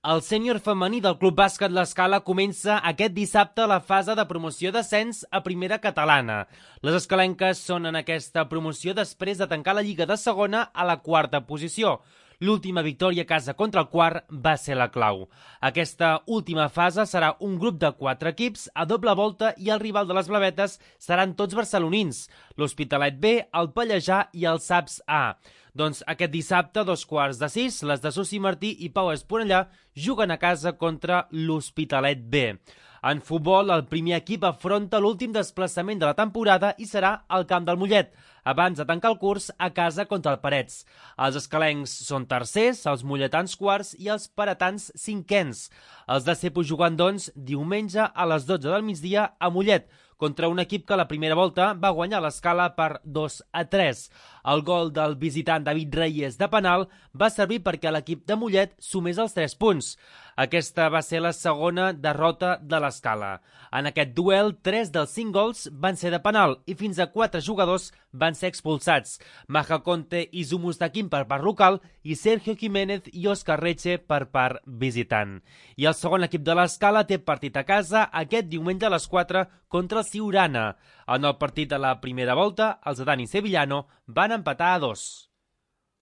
El sènior femení del Club Bàsquet L'Escala comença aquest dissabte la fase de promoció d'ascens a primera catalana. Les escalenques són en aquesta promoció després de tancar la Lliga de segona a la quarta posició. L'última victòria a casa contra el Quart va ser la clau. Aquesta última fase serà un grup de 4 equips a doble volta i el rival de les blavetes seran tots barcelonins, l'Hospitalet B, el Pallejà i el SAPS A. Doncs aquest dissabte, a 5:15, les de Susi Martí i Pau Esponellà juguen a casa contra l'Hospitalet B. En futbol, el primer equip afronta l'últim desplaçament de la temporada i serà al Camp del Mollet, abans de tancar el curs a casa contra el Parets. Els escalencs són tercers, els molletans quarts i els paretans cinquens. Els de Cepo jugant, doncs, diumenge a les 12 del migdia a Mollet, contra un equip que a la primera volta va guanyar l'Escala per 2-3. El gol del visitant David Reyes de penal va servir perquè l'equip de Mollet sumés els 3 punts. Aquesta va ser la segona derrota de l'Escala. En aquest duel, 3 dels 5 gols van ser de penal i fins a 4 jugadors van ser expulsats. Maja Conte i Zumustakin per part local i Sergio Jiménez i Òscar Reche per part visitant. I el segon equip de l'Escala té partit a casa aquest diumenge a les 4 contra el Siurana. En el partit de la primera volta, els de Dani Sevillano van empatar a 2.